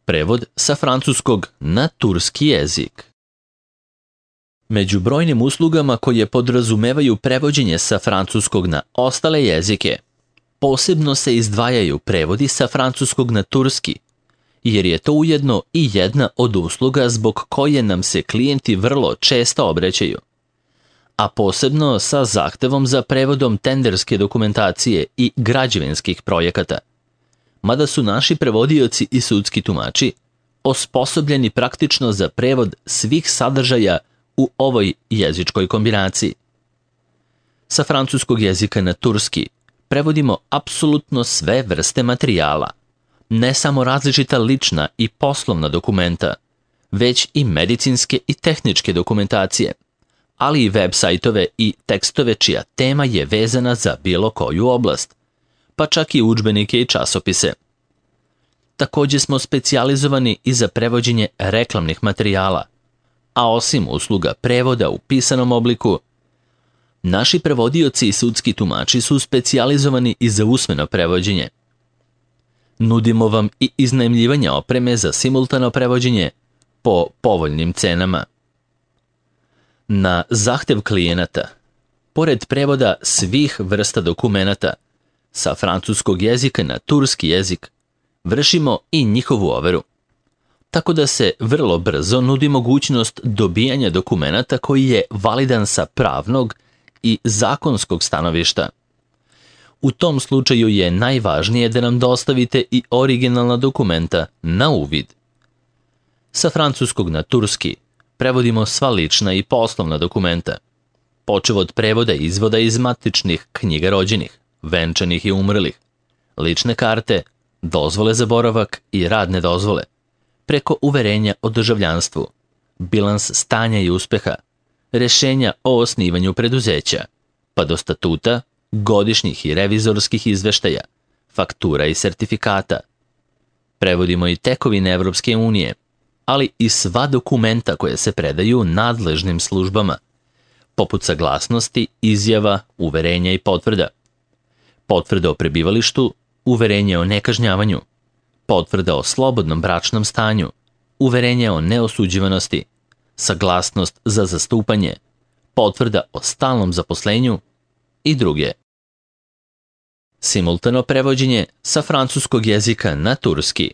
Prevod sa francuskog na turski jezik. Među brojnim uslugama koje podrazumevaju prevođenje sa francuskog na ostale jezike, posebno se izdvajaju prevodi sa francuskog na turski, jer je to ujedno i jedna od usluga zbog koje nam se klijenti vrlo često obraćaju, a posebno sa zahtevom za prevodom tenderske dokumentacije i građevinskih projekata, mada su naši prevodioci i sudski tumači osposobljeni praktično za prevod svih sadržaja u ovoj jezičkoj kombinaciji. Sa francuskog jezika na turski prevodimo apsolutno sve vrste materijala, ne samo različita lična i poslovna dokumenta, već i medicinske i tehničke dokumentacije, ali i web sajtove i tekstove čija tema je vezana za bilo koju oblast, pa čak i udžbenike i časopise. Također smo specijalizovani i za prevođenje reklamnih materijala, a osim usluga prevoda u pisanom obliku, naši prevodioci i sudski tumači su specijalizovani i za usmeno prevođenje. Nudimo vam i iznajmljivanje opreme za simultano prevođenje po povoljnim cenama. Na zahtev klijenata, pored prevoda svih vrsta dokumenata sa francuskog jezika na turski jezik, vršimo i njihovu overu, tako da se vrlo brzo nudi mogućnost dobijanja dokumenata koji je validan sa pravnog i zakonskog stanovišta. U tom slučaju je najvažnije da nam dostavite i originalna dokumenta na uvid. Sa francuskog na turski prevodimo sva lična i poslovna dokumenta, počev od prevoda izvoda iz matičnih knjiga rođenih, venčanih i umrlih, lične karte, dozvole za boravak i radne dozvole, preko uverenja o državljanstvu, bilans stanja i uspeha, rješenja o osnivanju preduzeća, pa do statuta, godišnjih i revizorskih izveštaja, faktura i sertifikata. Prevodimo i tekovine Evropske unije, ali i sva dokumenta koje se predaju nadležnim službama, poput saglasnosti, izjava, uverenja i potvrda. Potvrda o prebivalištu, uverenje o nekažnjavanju, potvrda o slobodnom bračnom stanju, uverenje o neosuđivanosti, saglasnost za zastupanje, potvrda o stalnom zaposlenju i druge. Simultano prevođenje sa francuskog jezika na turski.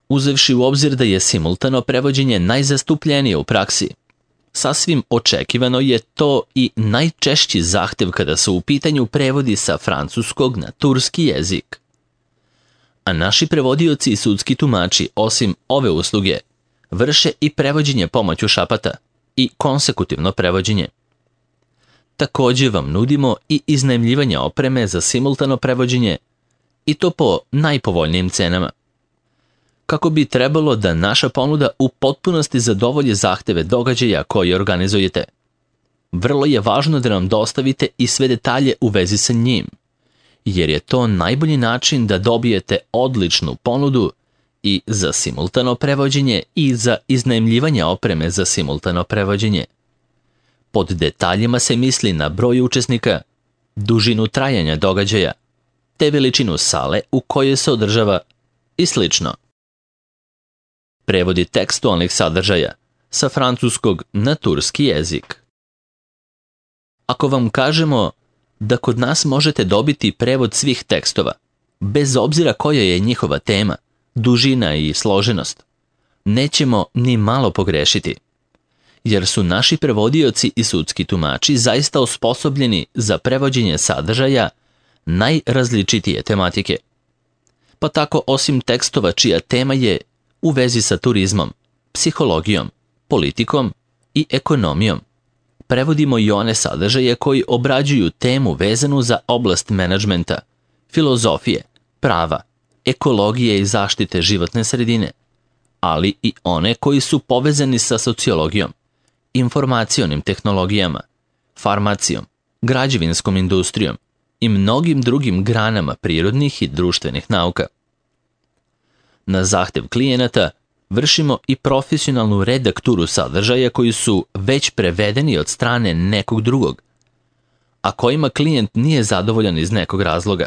Uzevši u obzir da je simultano prevođenje najzastupljenije u praksi, sasvim očekivano je to i najčešći zahtev kada su u pitanju prevodi sa francuskog na turski jezik. A naši prevodioci i sudski tumači, osim ove usluge, vrše i prevođenje pomoću šapata i konsekutivno prevođenje. Također vam nudimo i iznajmljivanje opreme za simultano prevođenje, i to po najpovoljnijim cenama. Kako bi trebalo da naša ponuda u potpunosti zadovolji zahteve događaja koje organizujete, vrlo je važno da nam dostavite i sve detalje u vezi sa njim, jer je to najbolji način da dobijete odličnu ponudu i za simultano prevođenje i za iznajmljivanje opreme za simultano prevođenje. Pod detaljima se misli na broj učesnika, dužinu trajanja događaja, te veličinu sale u kojoj se održava i slično. Prevodi tekstualnih sadržaja sa francuskog na turski jezik. Ako vam kažemo da kod nas možete dobiti prevod svih tekstova, bez obzira koja je njihova tema, dužina i složenost, nećemo ni malo pogrešiti, jer su naši prevodioci i sudski tumači zaista osposobljeni za prevođenje sadržaja najrazličitije tematike. Pa tako, osim tekstova čija tema je u vezi sa turizmom, psihologijom, politikom i ekonomijom, prevodimo i one sadržaje koji obrađuju temu vezanu za oblast menadžmenta, filozofije, prava, ekologije i zaštite životne sredine, ali i one koji su povezani sa sociologijom, informacionim tehnologijama, farmacijom, građevinskom industrijom i mnogim drugim granama prirodnih i društvenih nauka. Na zahtev klijenata vršimo i profesionalnu redakturu sadržaja koji su već prevedeni od strane nekog drugog, a kojima klijent nije zadovoljan iz nekog razloga.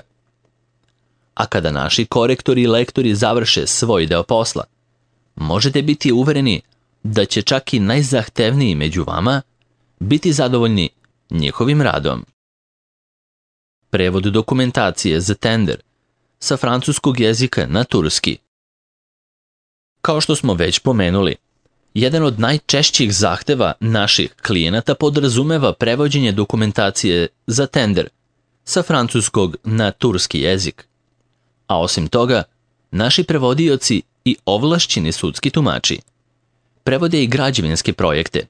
A kada naši korektori i lektori završe svoj deo posla, možete biti uvereni da će čak i najzahtevniji među vama biti zadovoljni njihovim radom. Prevod dokumentacije za tender sa francuskog jezika na turski. Kao što smo već pomenuli, jedan od najčešćih zahteva naših klijenata podrazumeva prevođenje dokumentacije za tender sa francuskog na turski jezik. A osim toga, naši prevodioci i ovlašćeni sudski tumači prevode i građevinske projekte,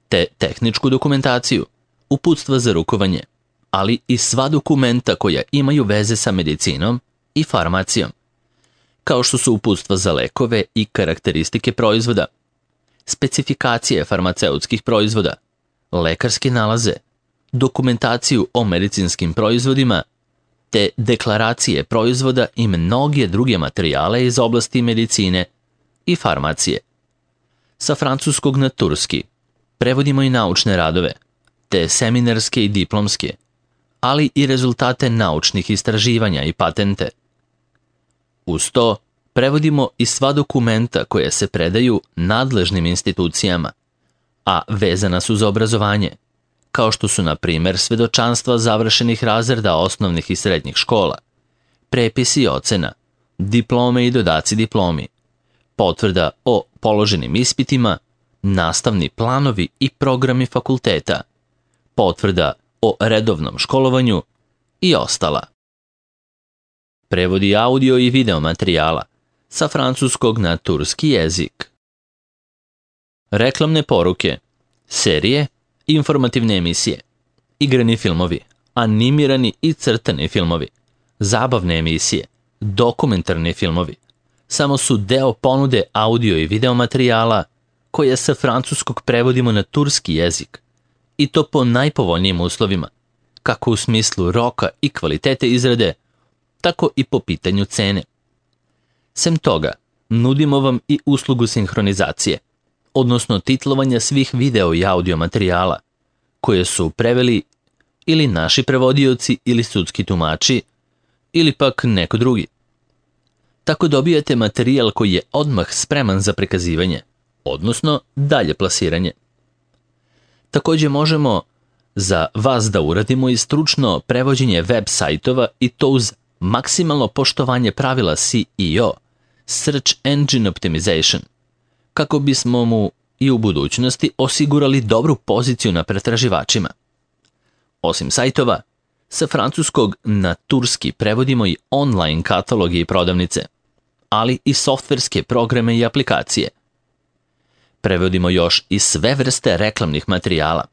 te tehničku dokumentaciju, uputstva za rukovanje, ali i sva dokumenta koja imaju veze sa medicinom i farmacijom, kao što su uputstva za lekove i karakteristike proizvoda, specifikacije farmaceutskih proizvoda, lekarske nalaze, dokumentaciju o medicinskim proizvodima, te deklaracije proizvoda i mnoge druge materijale iz oblasti medicine i farmacije. Sa francuskog na turski prevodimo i naučne radove, te seminarske i diplomske, ali i rezultate naučnih istraživanja i patente. Uz to, prevodimo i sva dokumenta koja se predaju nadležnim institucijama, a vezana su za obrazovanje, kao što su, na primjer, svedočanstva završenih razreda osnovnih i srednjih škola, prepisi ocena, diplome i dodaci diplomi, potvrda o položenim ispitima, nastavni planovi i programi fakulteta, potvrda o redovnom školovanju i ostala. Prevodi audio i video materijala sa francuskog na turski jezik. Reklamne poruke, serije, informativne emisije, igrani filmovi, animirani i crtani filmovi, zabavne emisije, dokumentarni filmovi, samo su deo ponude audio i video materijala koje sa francuskog prevodimo na turski jezik, i to po najpovoljnijim uslovima, kako u smislu roka i kvalitete izrade, tako i po pitanju cene. Sem toga, nudimo vam i uslugu sinhronizacije, odnosno titlovanja svih video i audio materijala, koje su preveli ili naši prevodioci ili sudski tumači, ili pak neko drugi. Tako dobijate materijal koji je odmah spreman za prikazivanje, odnosno dalje plasiranje. Također možemo za vas da uradimo i stručno prevođenje web sajtova, i to uz maksimalno poštovanje pravila SEO, Search Engine Optimization, kako bismo mu i u budućnosti osigurali dobru poziciju na pretraživačima. Osim sajtova, sa francuskog na turski prevodimo i online kataloge i prodavnice, ali i softverske programe i aplikacije. Prevodimo još i sve vrste reklamnih materijala,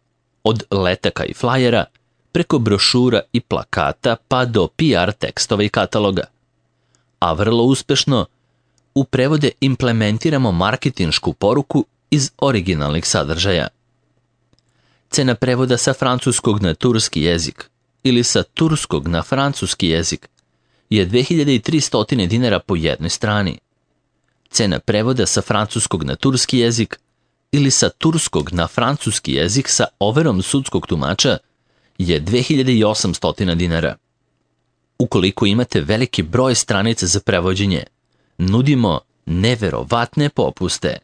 od letaka i flajera, preko brošura i plakata pa do PR tekstova i kataloga. A vrlo uspešno u prevode implementiramo marketinšku poruku iz originalnih sadržaja. Cena prevoda sa francuskog na turski jezik ili sa turskog na francuski jezik je 2300 dinara po jednoj strani. Cena prevoda sa francuskog na turski jezik ili sa turskog na francuski jezik sa overom sudskog tumača je 2800 dinara. Ukoliko imate veliki broj stranica za prevođenje, nudimo neverovatne popuste.